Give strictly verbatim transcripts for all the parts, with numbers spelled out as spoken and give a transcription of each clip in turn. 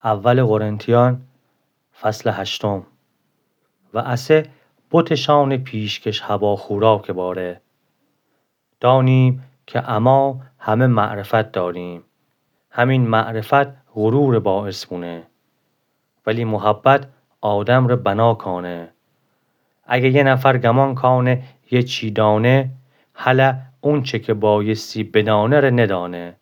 اول قرنتیان، فصل هشتم. و اسه بتشان پیشکش هوا خوراکٚ باره. دانیم که اما همه معرفت داریم. همین معرفت غرورٚ باعث بونه. ولی محبت آدمٚ ره بنا کانه. اگه یه نفر گمان کانه یه چی دانه، هله اونچه که بایستی بدانه ره ندانه.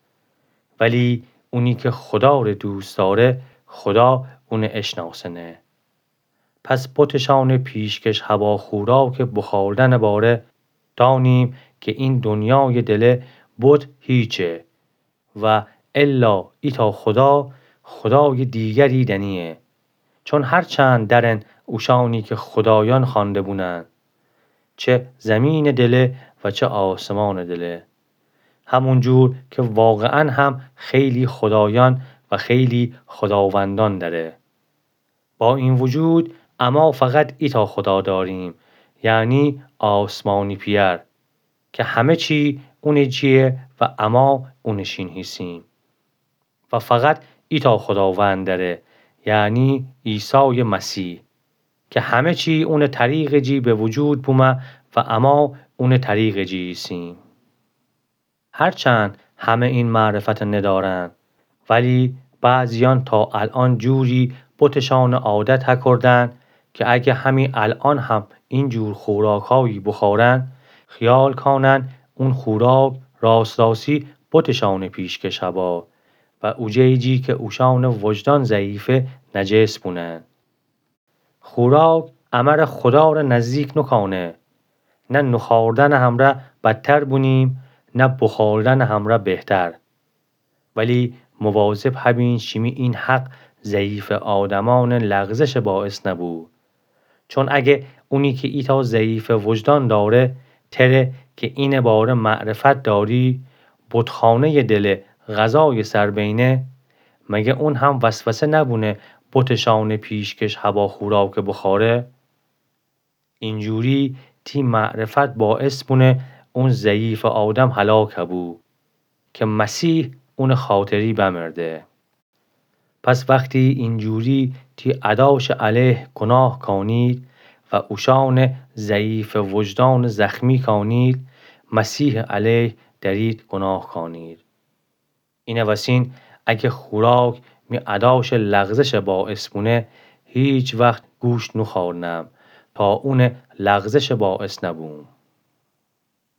ولی اونی که خدا ره دوست داره، خدا اونه اشناسنه. پس بتشان پیشکش هوا خوراکٚ بخوردنٚ باره، دانیم که این دنیایٚ دله بت هیچه و الا ایتا خدا، خدایٚ دیگری دنیه. چون هر چند درن اوشانی که خدایان خوانده بونن، چه زمینٚ دله و چه آسمانٚ دله. همون جور که واقعاً هم خیلی خدایان و خیلی خداوندان دره. با این وجود، اما فقط ایتا خدا داریم، یعنی آسمانی پئر، که همه چی اونٚ جیه و اما اونٚ شین هیسیم. و فقط ایتا خداوند دره، یعنی عیسایٚ مسیح، که همه چی اونٚ طریقٚ جی به وجود بومه و اما اونٚ طریقٚ جی ایسیم. هرچند همه این معرفت ندارن، ولی بعضیان تا الان جوری بتشان عادت هکردن که اگه همین الان هم این جور خوراکایی بخورن، خیال کانن اون خوراک راست راستی بتشان پیشکش هوا و اوجه‌یی جی که اوشان وجدان ضعیفه نجس بونن. خوراک امر خدا ره نزدیک نوکانه. نه نوخوردنٚ همره بدتر بونیم، نه بخوردنٚ همره بهتر. ولی مواظب هبین شیمی این حق ضعیفٚ آدمانٚ لغزشٚ باعث نبو. چون اگه اونی که ایتا ضعیفٚ وجدان داره، تره که اینٚ باره معرفت داری، بتخانه‌یٚ دله غذایٚ سر بینه، مگه اون هم وسوسه نبونه بتشان پیشکش هوا خوراکٚ بخوره؟ اینجوری تی معرفت باعث بونه اون ضعیفٚ آدم هلاک هبو که مسیح اونٚ خاطری بمرده. پس وختی اینجوری تی اداشٚ علیه گناه کانید و اوشانٚ ضعیفٚ وجدان زخمی کانید، مسیحٚ علیه درید گناه کانید. اینه وسین اگه خوراک می اداشٚ لغزشٚ باعث بونه، هیچ وخت گوشت نوخورنم تا اونٚ لغزشٚ باعث نبوم.